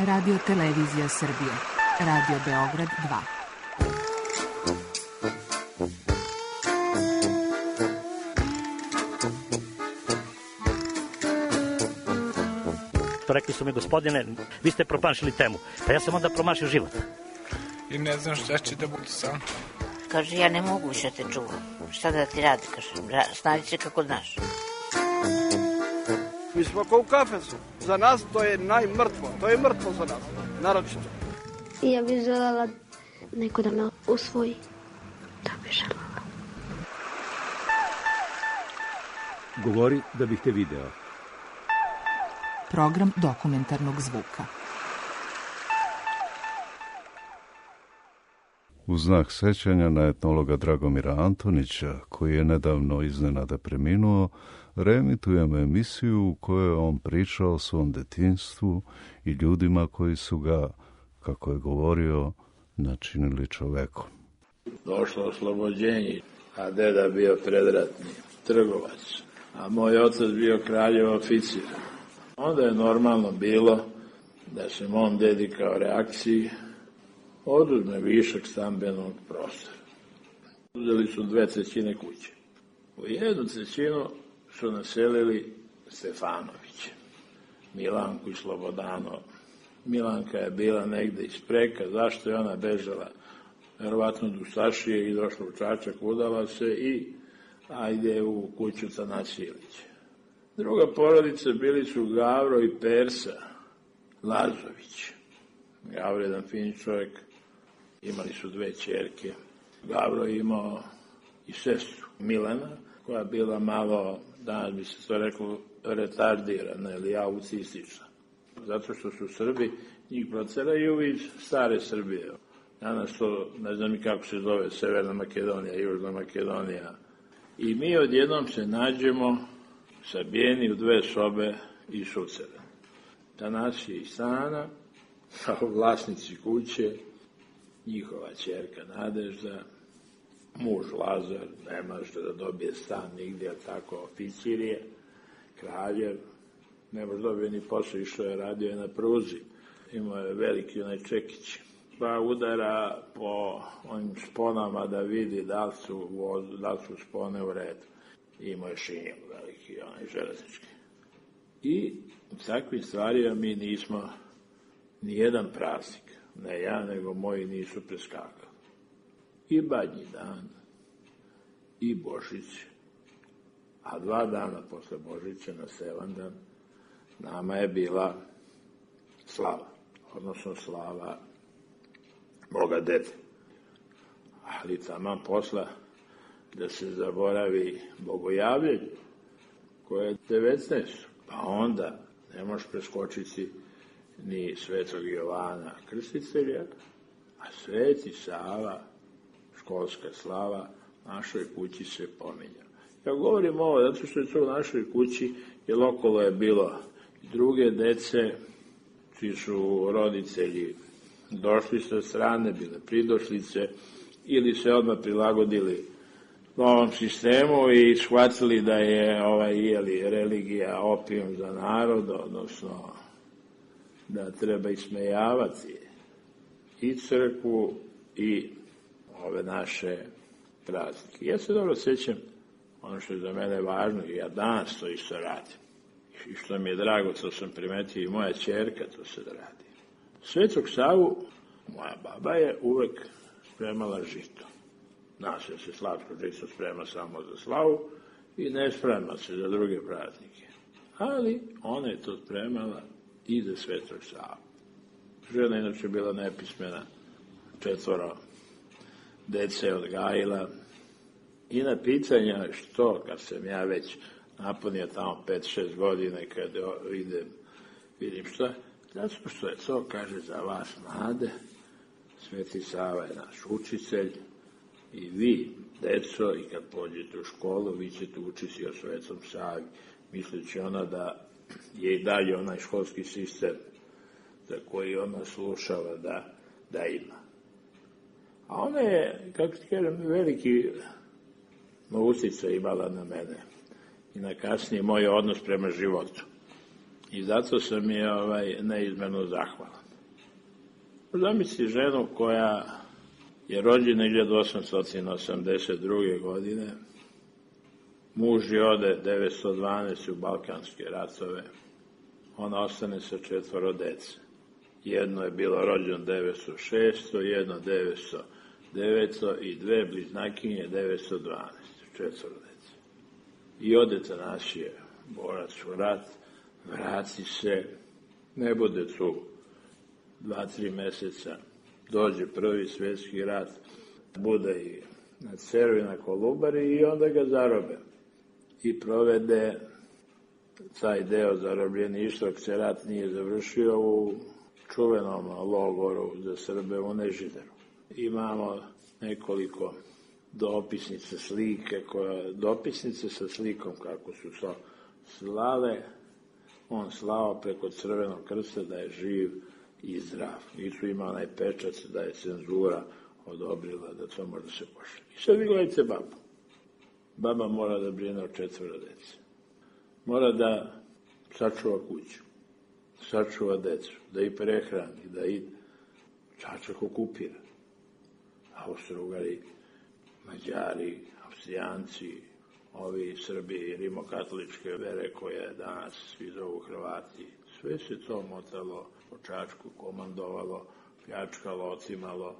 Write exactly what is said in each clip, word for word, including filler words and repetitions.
Radio Televizija Srbije. Radio Beograd dva. Rekli su mi, gospodine, vi ste promašili temu. Pa ja sam onda promašio život. I ne znam šta će da bude sam. Kaže, ja ne mogu više te čuvam. Šta da ti radi, kaže, snađi se kako znaš. Mi smo kao u kafesu. Za nas to je najmrtvo. To je mrtvo za nas, naročito. Ja bih želela neko da me usvoji. Da bih želela. Govori da bih te video. Program dokumentarnog zvuka. U znak sećanja na etnologa Dragomira Antonića, koji je nedavno iznenada preminuo, reemitujemo emisiju u kojoj je on pričao o svom detinjstvu i ljudima koji su ga, kako je govorio, načinili čovekom. Došlo oslobođenje, a deda bio predratni trgovac, a moj otac bio kraljev oficir. Onda je normalno bilo da se mom dedi kao reakciji oduzme višak stambenog prostora. Uzeli su dve trećine kuće. U jednu trećinu su naselili Stefanoviće, Milanku i Slobodano. Milanka je bila negde iz Preka, zašto je ona bežala? Verovatno do Sašije i došla u Čačak, udala se i ajde u kuću Tanasilića. Druga porodica bili su Gavro i Persa Lazović. Gavro je jedan fin čovjek, imali su dve ćerke. Gavro je imao i sestru Milena, koja je bila malo, danas bi se to reklo, retardirana ili autistična. Zato što su Srbi, njih proceraju iz stare Srbije. Danas to, ne znam i kako se zove, Severna Makedonija, Južna Makedonija. I mi odjednom se nađemo sabijeni u dve sobe i šucere. Tanasije i Sana, kao vlasnici kuće, njihova ćerka Nadežda, muž Lazar, ne može da dobije stan nigdje, a tako oficir je, kraljev, ne može dobije ni posao, išao je, radio je na pruzi, imao je veliki onaj čekić, pa udara po onim šponama da vidi da li su, da li su spone u redu. Imao je šinjel veliki, onaj železnički. I u takvih stvarima mi nismo ni jedan praznik, ne ja, nego moji nisu preskakali. I Badnji dan, i Božić, a dva dana posle Božića, na Sevandan, nama je bila slava, odnosno slava moga dede. Ali taman posla da se zaboravi bogojavljenje, koje je devetnaesto. Pa onda ne možeš preskočiti ni Svetog Jovana Krstitelja, a Sveti Sava, školska slava, našoj kući se pominja. Ja govorim ovo zato što je to u našoj kući, jer okolo je bilo i druge dece, čiji su roditelji došli sa strane, bile pridošlice, ili se odmah prilagodili novom sistemu i shvatili da je ovaj, jeli, religija opijum za narod, odnosno da treba ismejavati i crkvu i ove naše praznike. Ja se dobro sjećam, ono što je za mene važno, i ja danas to isto radim. I što mi je drago, to sam primetio, i moja ćerka to se radi. Svetog Savu, moja baba je uvek spremala žito. Nas je se slatko žito sprema samo za slavu i ne sprema se za druge praznike. Ali ona je to spremala i za Svetog Savu. Žena inače bila nepismena, četvoro dece odgajila. I na pitanja što, kad sam ja već napunio tamo pet šest godine, kad idem, vidim šta, zato što je to, kaže, za vas mlade, Sveti Sava je naš učitelj i vi, deco, i kad pođete u školu, vi ćete učiti o Svetom Savi, misleći ona da je i dalje onaj školski sistem za koji ona slušava da, da ima. A ona je, kako ti kažem, veliki uticaj imala na mene i na kasnije moj odnos prema životu. I zato sam je ovaj, neizmjerno zahvalan. Zamisli ženu koja je rođena hiljadu osamsto osamdeset druge. godine. Muž je ode devetsto dvanaeste. u Balkanske ratove. Ona ostane sa četvoro dece. Jedno je bilo rođeno devetsto šeste. jedno devetsto devete. i dve bliznakinje devetsto dvanaeste. četvoro dece. I ode Tanasije, borac u rat, vrati se, ne bude tu dva, tri meseca, dođe prvi svjetski rat, bude i na Ceru i na Kolubari i onda ga zarobe. I provede taj deo zarobljeništva, dok se rat nije završio, u čuvenom logoru za Srbe u Nežideru. Imamo nekoliko dopisnice slike, koja, dopisnice sa slikom kako su to slale. On slao preko Crvenog krsta da je živ i zdrav. I tu ima onaj pečat da je cenzura odobrila da to može se pošalje. I sad vi gledajte babu. Baba mora da brine o četvoro dece. Mora da sačuva kuću, sačuva decu, da ih prehrani, da ih Čačak okupira. Austro-Ugari, Mađari, Austrijanci, ovi Srbi, rimokatoličke vere koje danas svi zovu Hrvati, sve se to motalo po Čačku, komandovalo, pljačkalo, ocimalo,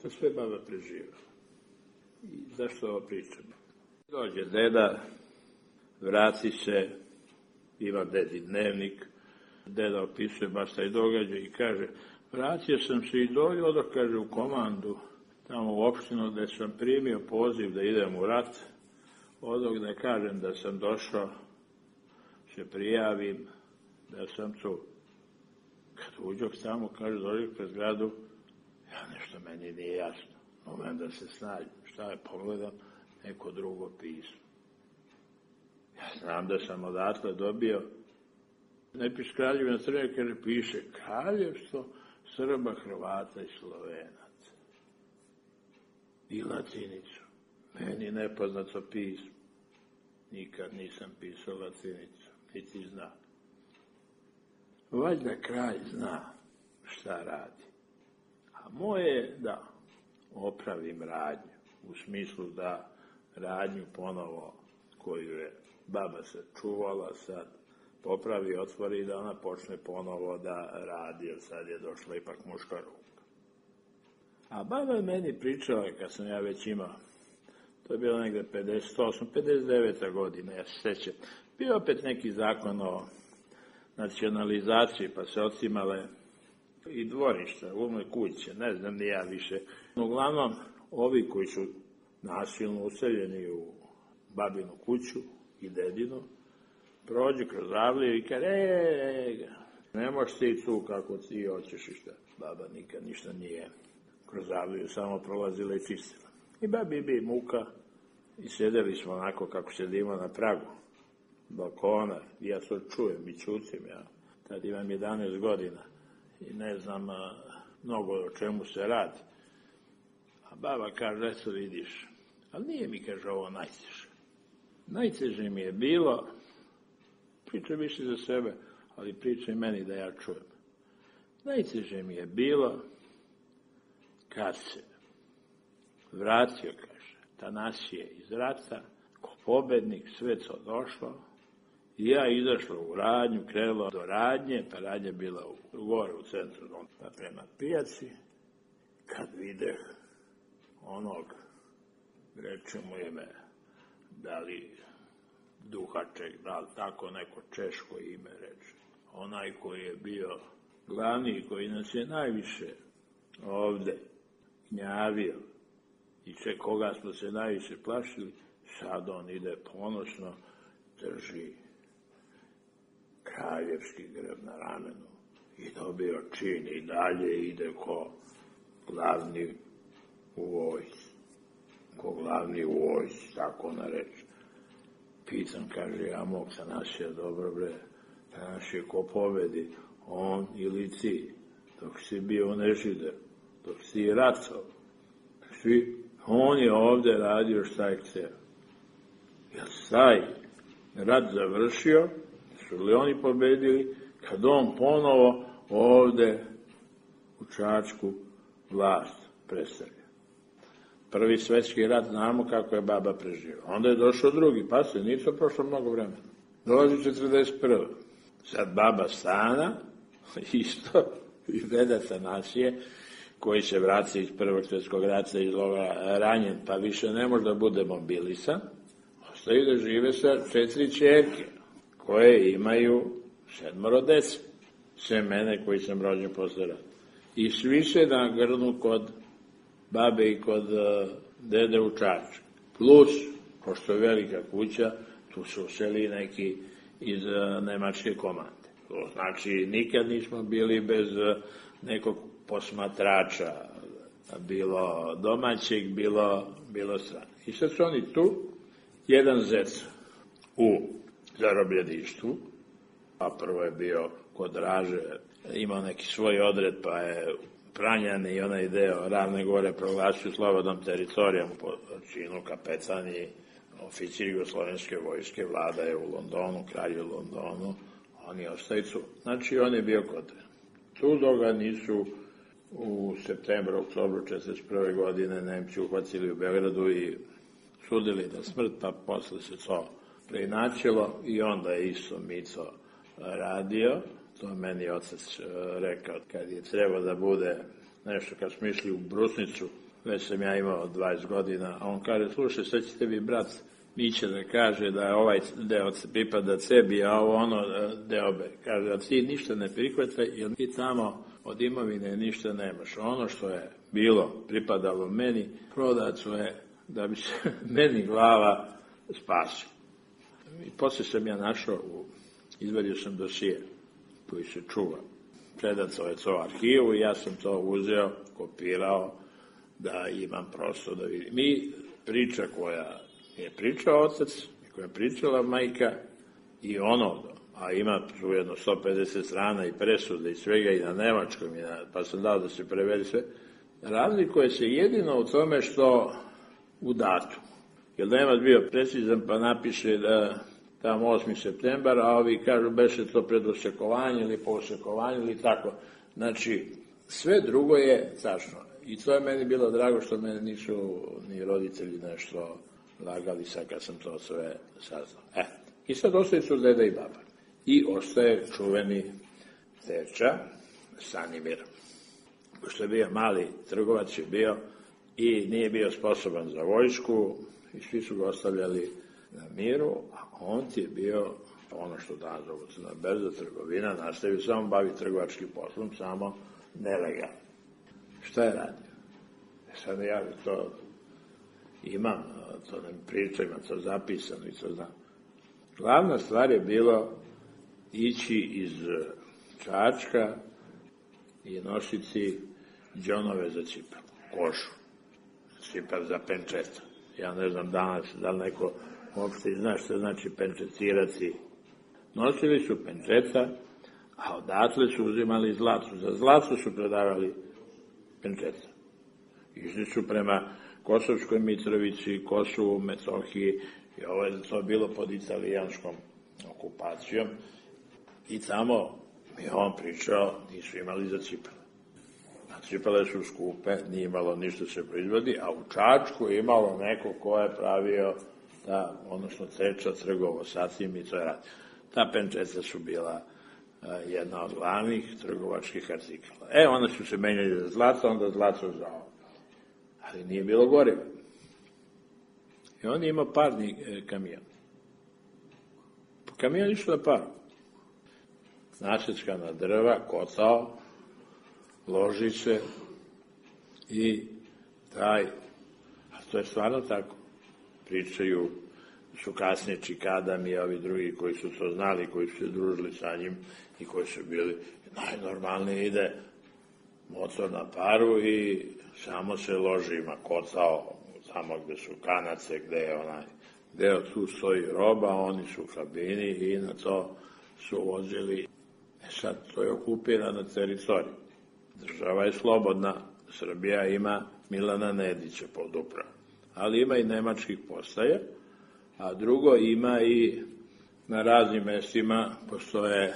to sve baba preživjela. I zašto ovo pričam? Dođe deda, vrati se, ima dedi dnevnik, deda opisuje baš taj događaj i kaže, vratio sam se i dođe, dok kaže u komandu, tamo u opštinu gde sam primio poziv da idem u rat, odog da kažem da sam došao, se prijavim, da sam tu. Kad uđok tamo, kaže, dođe pred zgradu, ja nešto meni nije jasno. Moment da se snađem. Šta je, pogledam, neko drugo pismo. Ja znam da sam odatle dobio, ne piše Kraljevina Srbije, kaže, piše Kraljevstvo Srba, Hrvata i Slovenaca. I latinicu. Meni nepoznato pismo. Nikad nisam pisao latinicu, niti zna. Valjda kralj zna šta radi. A moje je da opravim radnju, u smislu da radnju ponovo, koju je baba se čuvala sad, popravi, otvori i da ona počne ponovo da radi, jer sad je došla ipak muška ruka. A baba je meni pričala, kad sam ja već imao, to je bilo negde pedeset osma, pedeset deveta godina, ja se sećam. Bio opet neki zakon o nacionalizaciji, pa se ocimale i dvorišta, umne kuće, ne znam ni ja više. Uglavnom, ovi koji su nasilno useljeni u babinu kuću i dedinu, prođu kroz avliju i kaže, e, ne možeš ti tu kako ti hoćeš i šta. Baba nikad ništa nije kroz avliju, samo prolazila i čistila. I babi bi muka i sedeli smo onako kako sedimo na pragu balkona. I ja to čujem i čutim. Ja tad imam jedanaest godina i ne znam a, mnogo o čemu se radi. A baba kaže, eto vidiš, ali nije mi, kaže, ovo najteže. Najteže mi je bilo, pričaj više za sebe, ali pričaj meni da ja čujem. Najteže mi je bilo kad se vratio, kaže, Tanasije iz rata, ko pobednik, sve to došlo, i ja izašla u radnju, krenula do radnje, pa radnja bila u, gore u centru, pa prema pijaci, kad videh onog, reče mu ime, da li Duhaček, da li tako neko češko ime reče, onaj koji je bio glavni, koji nas je najviše ovde gnjavio, i sve koga smo se najviše plašili, sad on ide ponosno, drži kraljevski grb na ramenu i dobio čin i dalje ide ko glavni u vojsci. Ko glavni u vojsci, tako ona reče. Pitam, kaže, ja mog Tanasija, dobro bre, Tanasije ko pobedi, on ili ti, dok si bio u Nežideru, dok si ratao. Svi, on je ovde radio šta je hteo. Jer taj rat završio, su li oni pobedili, kad on ponovo ovde u Čačku vlast predstavio. Prvi svetski rat znamo kako je baba preživio. Onda je došao drugi, pa se nisu prošlo mnogo vremena. Dolazi četrdeset prva. Sad baba Stana, isto, i deda Tanasije, koji se vraća iz prvog svjetskog rata iz logora ranjen, pa više ne može da bude mobilisan, ostaju da žive sa četiri ćerke, koje imaju sedmoro dece, sve mene koji sam rođen posle rata. I svi se nagrnu kod babe i kod uh, dede u Čačku. Plus, pošto je velika kuća, tu su useli neki iz uh, nemačke komande. To znači, nikad nismo bili bez uh, nekog posmatrača, bilo domaćeg, bilo, bilo strane. I sad su oni tu, jedan zec u zarobljeništvu, a prvo je bio kod Draže, imao neki svoj odred, pa je Pranjan i onaj deo Ravne Gore proglasio slobodnom teritorijom po činu kapetani, oficir jugoslovenske vojske, vlada je u Londonu, kralj u Londonu, oni ostaju tu. Znači, on je bio kod. Tu dok ga nisu u septembru, oktobru četrdeset prve godine Nemci uhvacili u Beogradu i sudili da smrt, pa posle se to preinačilo i onda je isto Mico radio. To meni otac rekao kad je trebao da bude nešto, kad smo išli u Brusnicu, već sam ja imao dvadeset godina, a on kaže, slušaj, sad će tebi brat Mića da kaže da je ovaj deo pripada sebi, a ovo ono deo be. Kaže, da ti ništa ne prihvataj, jer ti tamo od imovine ništa nemaš. Ono što je bilo, pripadalo meni, prodato je da bi se meni glava spasila. I posle sam ja našao, u, izvadio sam dosije koji se čuva. Predato je to arhivu i ja sam to uzeo, kopirao, da imam prosto da vidim. Mi, priča koja je pričao otac, koja je pričala majka i ono, a ima tu jedno sto pedeset strana i presude i svega i na nemačkom, i na, pa sam dao da se prevedi sve, razlikuje se jedino u tome što u datumu. Jer Nemac bio precizan pa napiše da tamo osmi septembar, a ovi kažu beše to pred osekovanje ili po osekovanju ili tako. Znači, sve drugo je tačno. I to je meni bilo drago što mene nisu ni roditelji nešto lagali sad kad sam to sve saznao. E, i sad ostaje su deda i baba. I ostaje čuveni teča, Stanimir. Pošto je bio mali trgovac je bio i nije bio sposoban za vojsku i svi su ga ostavljali na miru, a on ti je bio ono što danas zovu na berza trgovina, nastavio samo bavi trgovačkim poslom, samo nelegalno. Šta je radio? Sad ja to imam, to ne priča, imam to zapisano i to znam. Glavna stvar je bilo ići iz Čačka i nositi džonove za cipel, košu, cipel za penčeta. Ja ne znam danas, da li neko uopšte zna što znači penčecirati. Nosili su penčeta, a odatle su uzimali zlato. Za zlato su predavali penčeta. Išli su prema Kosovskoj Mitrovici, Kosovu, Metohiji, i ovo je to bilo pod italijanskom okupacijom. I tamo je on pričao, nisu imali za cipele. A cipele su skupe, nije imalo ništa se proizvodi, a u Čačku je imalo neko ko je pravio, ta, odnosno teča trgovo sa tim i to je rad. Ta penčeta su bila a, jedna od glavnih trgovačkih artikala. E, onda su se menjali za zlato, onda zlato za ovo. Ali nije bilo goriva. I on je imao parni e, kamion. Kamion išao na paru. Naseckana drva, kotao, ložice i taj, a to je stvarno tako. Pričaju, su kasnije Čikadam i ovi drugi koji su to znali, koji su se družili sa njim i koji su bili, najnormalnije ide motor na paru i samo se loži, ima kotao, tamo gde su kanace, gde je onaj deo, tu stoji roba, oni su u kabini i na to su vozili. E sad, to je okupirana teritorija. Država je slobodna, Srbija ima Milana Nedića pod upravom, ali ima i nemačkih postaja, a drugo ima i na raznim mestima postoje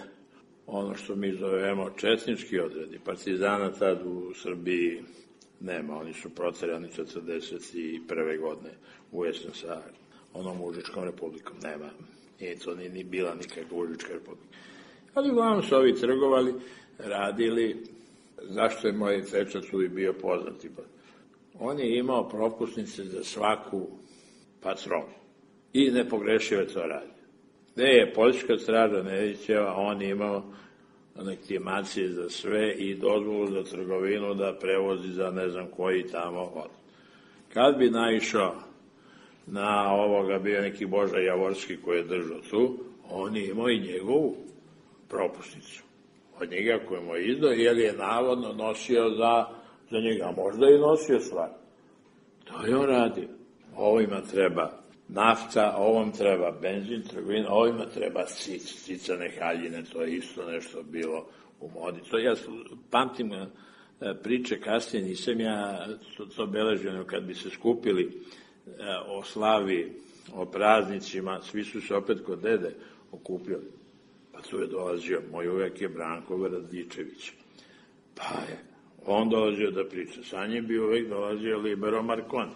ono što mi zovemo četnički odredi. Partizana tad u Srbiji nema, oni su proterani četrdeset prve godine u jesen sa onom Užičkom republikom, nema. Nije to ni, ni bila nikakva Užička republika. Ali uglavnom su ovi trgovali, radili, zašto je moj teča tu i bio poznati. On je imao propusnice za svaku patronu i nepogrešive to radi. Gde je Poljska straža Nedićeva, on je imao legitimacije za sve i dozvolu za trgovinu da prevozi za ne znam koji tamo od. Kad bi naišao na ovoga, bio neki Boža Javorski koji je držao tu, on je imao i njegovu propusnicu od njega koju mu je izdao, jer je navodno nosio za, za njega, a možda i nosio stvar. To je on radio. Ovima treba nafta, ovom treba benzin, trgovina, ovima treba cic, cicane haljine, to je isto nešto bilo u modi. To ja pamtim priče kasnije, nisam ja to, to beležio, kad bi se skupili o slavi, o praznicima, svi su se opet kod dede okupljali. Pa tu je dolazio, moj uvek je Branko Radičević. Pa je, on dolazio da priča. Sa njim bi uvek dolazio Libero Marconi,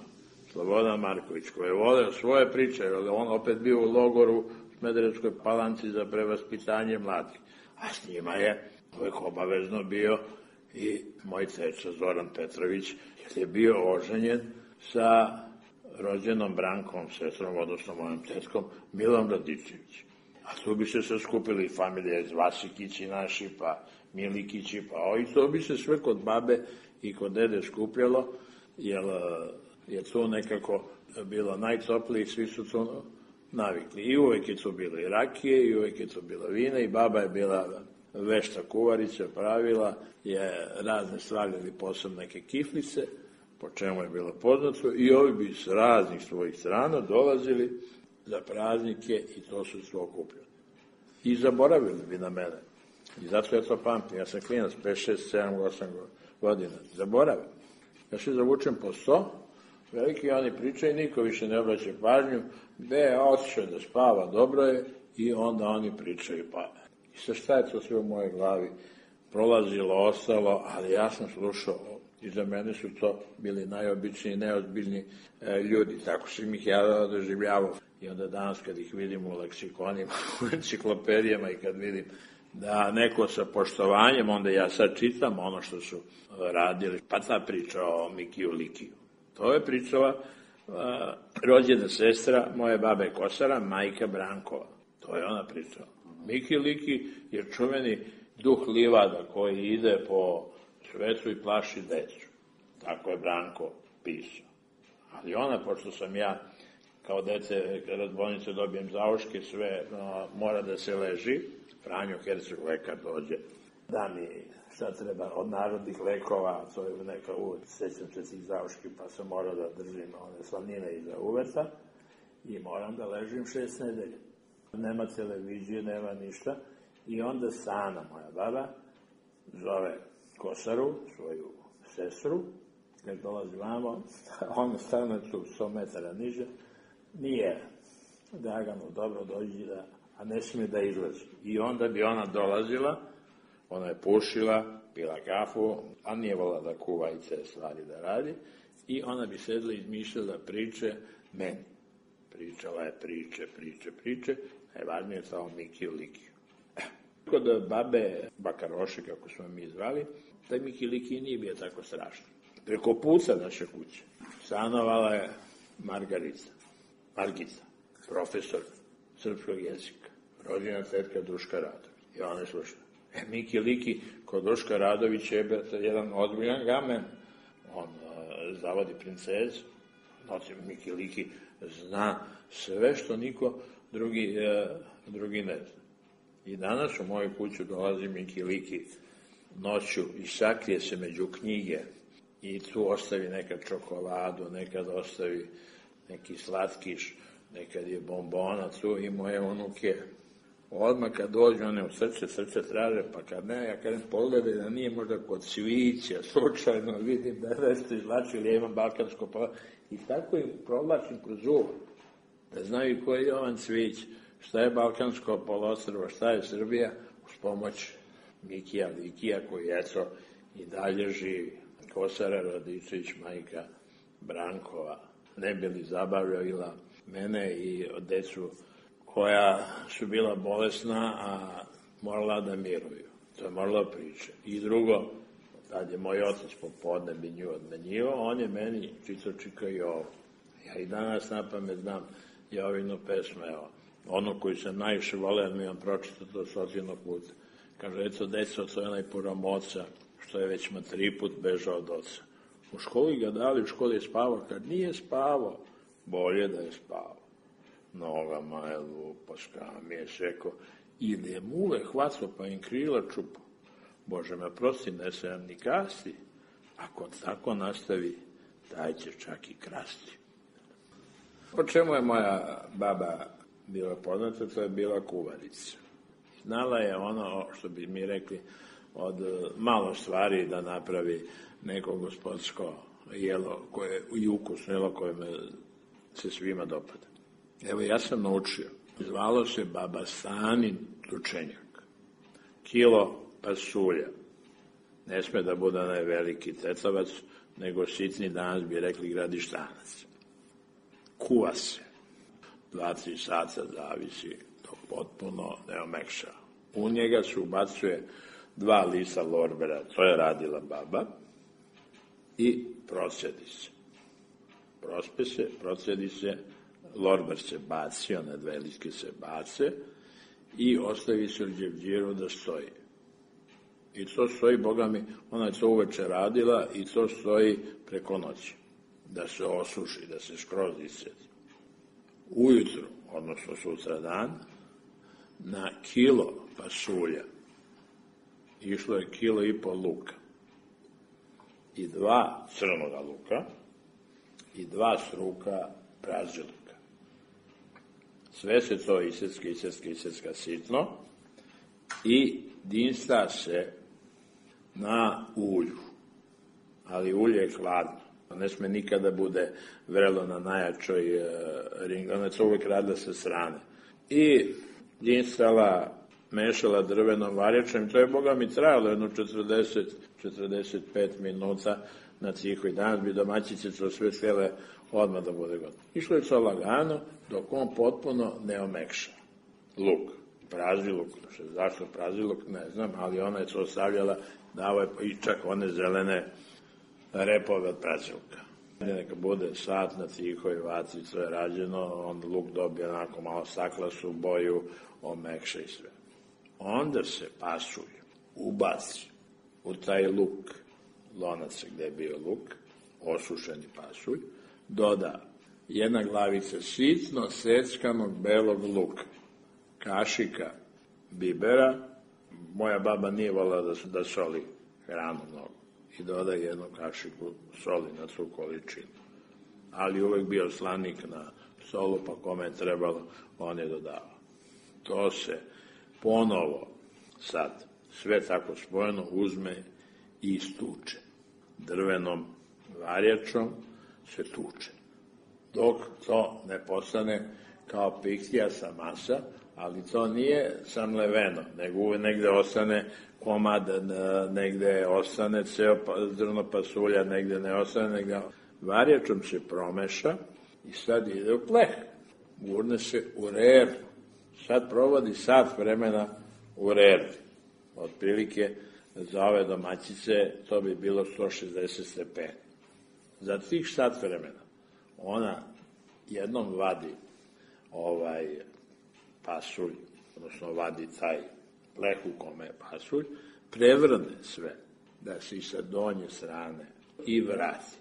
Slobodan Marković, koji je voleo svoje priče, jer on opet bio u logoru u Smederevskoj Palanci za prevaspitanje mladih. A s njima je uvek obavezno bio i moj teča Zoran Petrović, jer je bio oženjen sa rođenom Brankom, sestrom, odnosno mojom tetkom, Milom Radičević. A tu bi se sve skupili familije iz Vasikići naši, pa Milikići, pa ovi, to bi se sve kod babe i kod dede skupljalo, jer je to nekako bilo najtoplije i svi su to navikli. I uvek je to bilo i rakije, i uvek je to bilo vina, i baba je bila vešta kuvarica, pravila je razne stvari ili posebno neke kiflice, po čemu je bilo poznato, i ovi bi s raznih svojih strana dolazili za praznike i to su sve okupljali. I zaboravili bi na mene. I zato ja to pamtim. Ja sam klinac, pet, šest, sedam, osam godina. Zaboravim. Ja se zavučem po sto, veliki oni pričaju, niko više ne obraća pažnju, gde je otišao da spava, dobro je, i onda oni pričaju, pa. I sa šta je to sve u mojoj glavi prolazilo, ostalo, ali ja sam slušao, i za mene su to bili najobičniji, neozbiljni e, ljudi, tako sam ih ja doživljavao. I onda danas kad ih vidim u leksikonima, u enciklopedijama i kad vidim da neko sa poštovanjem, onda ja sad čitam ono što su radili. Pa ta priča o Mikiju Likiju. To je pričala uh, rođena sestra moje babe Kosara, majka Brankova. To je ona pričala. Miki Liki je čuveni duh livada koji ide po svetu i plaši decu. Tako je Branko pisao. Ali ona, pošto sam ja kao dete, kada od bolnice dobijem zauške, sve no, mora da se leži. Franjo Herceg lekar dođe, da mi šta treba od narodnih lekova, to je neka uvek, sećam se tih zauški, pa sam morao da držim one slanine iza uveta i moram da ležim šest nedelja. Nema televizije, nema ništa. I onda Sana, moja baba, zove Kosaru, svoju sestru, kad dolazi vamo, ona stane tu sto metara niže, nije Draganu, dobro dođi da, a ne smije da izlazi. I onda bi ona dolazila, ona je pušila, pila kafu, a nije volila da kuva i te stvari da radi, i ona bi sedla i izmišljala priče meni. Pričala je priče, priče, priče, najvažnije je samo Mikiju Likiju. Kod babe Bakaroše, kako smo mi zvali, taj Miki Liki nije bio tako strašno. Preko puca naše kuće stanovala je Margarica, Margica, profesor srpskog jezika, rođena tetka Duška Radović. I ona je slušala. E, Miki Liki kod Duška Radović je jedan ozbiljan gamen. On uh, zavodi princezu. Znači, Miki Liki zna sve što niko drugi, uh, drugi ne zna. I danas u moju kuću dolazi Miki Liki noću i sakrije se među knjige i tu ostavi nekad čokoladu, nekad ostavi neki slatkiš, nekad je bombona tu, i moje unuke odmah kad dođu one u srce, srce traže, pa kad ne, ja kažem pogledaj da nije možda kod cvića, slučajno vidim da je nešto izlačili, ja imam balkansko pa i tako im provlačim kroz uvo, da znaju koji je Jovan Cvić, šta je balkansko poluostrvo, šta je Srbija, uz pomoć Mikija Vikija, koji eto i dalje živi. Kosara Radičević, majka Brankova, ne bi li zabavljala mene i decu koja su bila bolesna, a morala da miruju. To je morala priča. I drugo, tad je moj otac popodne bi nju odmenjivao, on je meni čito čika i ovo. Ja i danas na pamet znam Jovinu pesmu, evo, ono koju sam najviše voleo, mi vam pročitao to stotinog puta. Kaže, eto, deco, to je onaj puromoca, što je već ma tri put bežao od oca. U školi ga dali, u školi je spavao, kad nije spavao, bolje da je spavao. Nogama je lupo, skam je šeko, ili je muve hvatao pa im krila čupo. Bože me prosti, ne se nam ni kasti, ako tako nastavi, taj će čak i krasti. Po čemu je moja baba bila poznata, to je bila kuvarica. Znala je ono, što bi mi rekli, od malo stvari da napravi neko gospodsko jelo koje, i ukusno jelo koje me se svima dopada. Evo, ja sam naučio. Zvalo se baba Stanin tučenjak. Kilo pasulja. Ne sme da bude onaj veliki tecavac, nego sitni, danas bi rekli gradištanac. Kuva se. Dva, tri sata zavisi, to potpuno ne omekša. U njega se ubacuje dva lista lorbera, to je radila baba, i procedi se. Prospe se, procedi se, lorber se baci, one dve listke se bace i ostavi se u đevđiru da stoji. I to stoji, Boga mi, ona je to uveče radila i to stoji preko noći. Da se osuši, da se skroz iscedi. Ujutru, odnosno sutra dan, na kilo pasulja išlo je kilo i pol luka i dva crnoga luka i dva struka pražilka. Sve se to isecka, isecka, isecka sitno i dinsta se na ulju. Ali ulje je hladno. Ne sme nikada bude vrelo na najjačoj e, ringu. Ona je to uvijek radila sa strane. I dinstala, mešala drvenom varjačem. To je, Boga mi, trajalo jedno četrdeset do četrdeset pet minuta na cihoj. Danas bi domaćice to sve htjele odmah da bude gotovo. Išlo je to lagano, dok on potpuno ne omekša. Luk, praži luk. Zašto praži luk, ne znam, ali ona je to stavljala, dava je i čak one zelene repove od pražilka. Neka bude sat na tihoj vaci, sve je rađeno, onda luk dobije onako malo staklasu boju, omekša i sve. Onda se pasulj ubaci u taj luk, lonac gde je bio luk, osušeni pasulj, doda jedna glavica sitno seckanog belog luka, kašika bibera, moja baba nije volila da, da soli hranu mnogo, i doda jednu kašiku soli na tu količinu. Ali uvek bio slanik na solu, pa kome je trebalo, on je dodavao. To se ponovo sad, sve tako spojeno, uzme i istuče. Drvenom varjačom se tuče. Dok to ne postane kao pihtijasta masa, ali to nije samleveno, nego uvek negde ostane komad, negde ostane ceo zrno pasulja, negde ne ostane, negde varjačom se promeša i sad ide u pleh. Gurne se u reru. Sad provodi sat vremena u reru. Otprilike za ove domaćice to bi bilo sto šezdeset stepeni. Za tih sat vremena ona jednom vadi ovaj pasulj, odnosno vadi taj pleh u kome je pasulj, prevrne sve, da se i sa donje strane i vrati.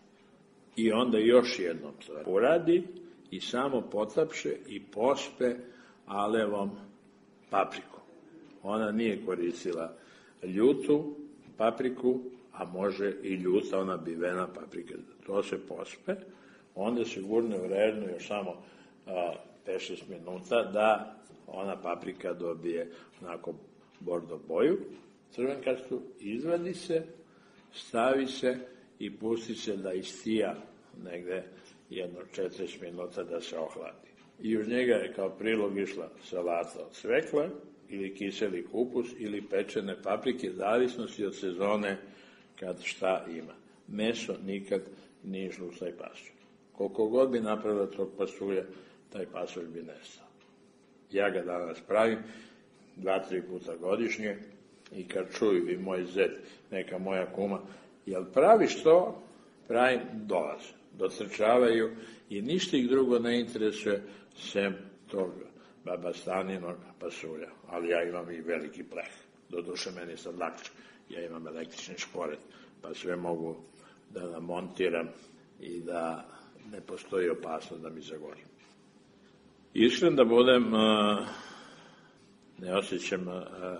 I onda još jednom to uradi i samo potapše i pospe alevom paprikom. Ona nije koristila ljutu papriku, a može i ljuta, ona bivena paprika. To se pospe, onda se gurne u rernu još samo pet šest minuta da ona paprika dobije onako bordo boju, crvenkastu, izvadi se, stavi se i pusti se da istija negde jedno četrdeset minuta da se ohladi. I uz njega je kao prilog išla salata od cvekla ili kiseli kupus ili pečene paprike, zavisnosti od sezone kad šta ima. Meso nikad nije išlo u taj pasulj. Koliko god bi napravila tog pasulja, taj pasulj bi nestao. Ja ga danas pravim dva, tri puta godišnje i kad čuju i moj zet, neka moja kuma, jel praviš to? Pravim, dolaze, dotrčavaju i ništa ih drugo ne interesuje sem tog baba Staninog pasulja. Ali ja imam i veliki pleh. Doduše meni sad lakše. Ja imam električni šporet, pa sve mogu da namontiram i da ne postoji opasnost da mi zagori. Iskren da budem, ne osjećam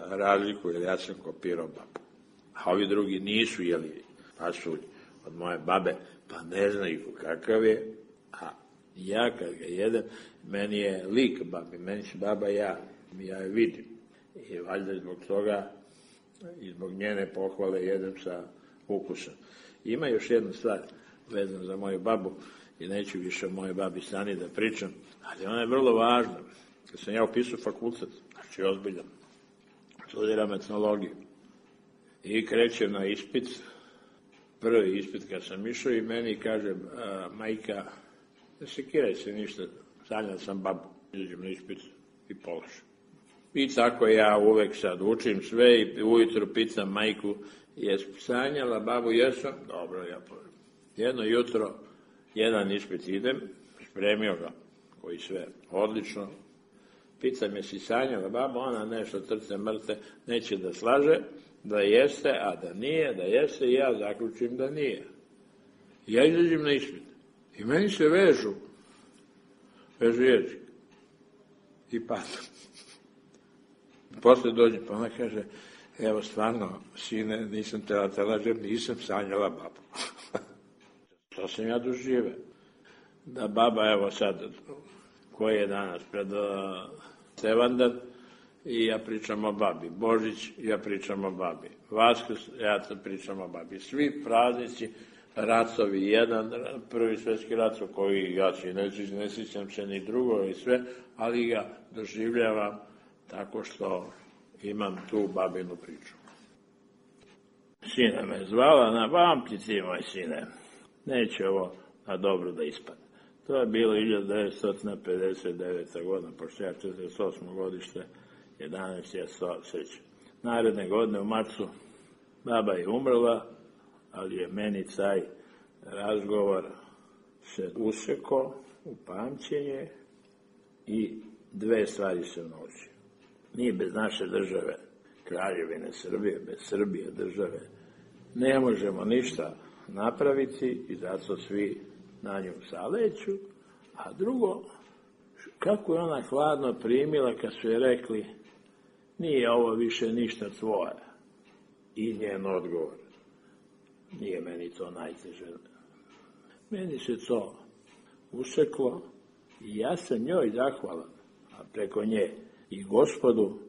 razliku, jer ja sam kopirao babu. A ovi drugi nisu jeli pasulj od moje babe, pa ne znaju kakav je, a ja kad ga jedem, meni je lik babi, meni se baba ja, ja je vidim. I valjda zbog toga i zbog njene pohvale jedem sa ukusom. Ima još jedna stvar vezana za moju babu, i neću više o mojoj babi Stani da pričam, ali ona je vrlo važna. Kad sam ja upisao fakultet, znači ozbiljan, studiram etnologiju, i krećem na ispit, prvi ispit kad sam išao i meni kaže a, majka, ne sekiraj se ništa, sanjao sam babu, izađem na ispit i položim. I tako ja uvek sad učim sve i ujutro pitam majku, jes sanjala babu, jesam? Dobro, ja položim. Jedno jutro, jedan ispit idem, spremio ga, koji sve odlično, pitam je si sanjala babu, ona nešto trce mrte, neće da slaže, da jeste, a da nije, da jeste, i ja zaključim da nije. Ja izađem na ispit i meni se vežu, vežu jezik i padam. Posle dođe, pa ona kaže, evo stvarno, sine, nisam tela te lažem, nisam sanjala babu. To sam ja dožive. Da baba, evo sad, koji je danas pred Tevandan, i ja pričam o babi. Božić, ja pričam o babi. Vaskrs, ja pričam o babi. Svi praznici, racovi, jedan, prvi svetski rat, koji ja se ne, ne sjećam se ni drugo i sve, ali ga doživljavam tako što imam tu babinu priču. Sina me zvala, napamti ti, moj sine, neće ovo na dobro da ispadne. To je bilo hiljadu devetsto pedeset deveta. godina, pošto ja četrdeset osmo godište, jedanaest ja se sećam. Naredne godine u marcu baba je umrla, ali je meni taj razgovor se usekao u pamćenje i dve stvari se naučio. Mi bez naše države, Kraljevine Srbije, bez Srbije države, ne možemo ništa napraviti i zato svi na nju zaleću. A drugo, kako je ona hladno primila kad su je rekli nije ovo više ništa tvoje. I njen odgovor, nije meni to najteže. Meni se to useklo i ja sam njoj zahvalan, a preko nje i Gospodu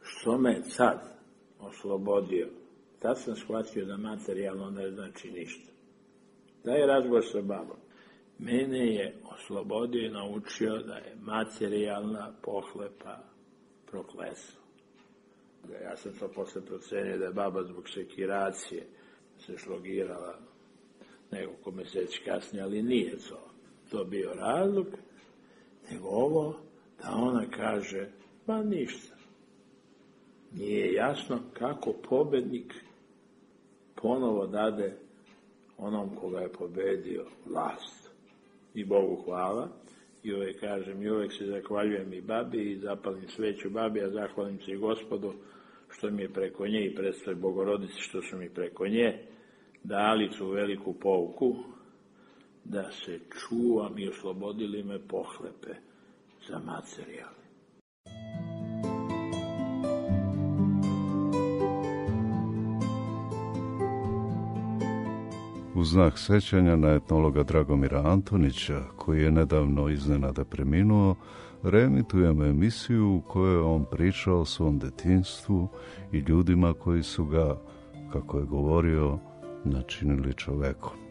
što me sad oslobodio. Tad sam shvatio da materijalno ne znači ništa. Taj razgovor sa babom mene je oslobodio i naučio da je materijalna pohlepa prokletstvo. Ja sam to posle procenio da je baba zbog sekiracije se šlogirala nekoliko meseci kasnije, ali nije to. To bio razlog, nego ovo da ona kaže, ma ništa. Nije jasno kako pobednik ponovo dade onom koga je pobedio vlast. I Bogu hvala. I uvek kažem, i uvek se zahvaljujem i babi i zapalim sveću babi, a zahvalim se i Gospodu što mi je preko nje i predstav Bogorodici što su mi preko nje dali tu veliku pouku da se čuvam i oslobodili me pohlepe za materijal. U znak sećanja na etnologa Dragomira Antonića, koji je nedavno iznenada preminuo, reemitujemo emisiju u kojoj je on pričao o svom detinjstvu i ljudima koji su ga, kako je govorio, načinili čovekom.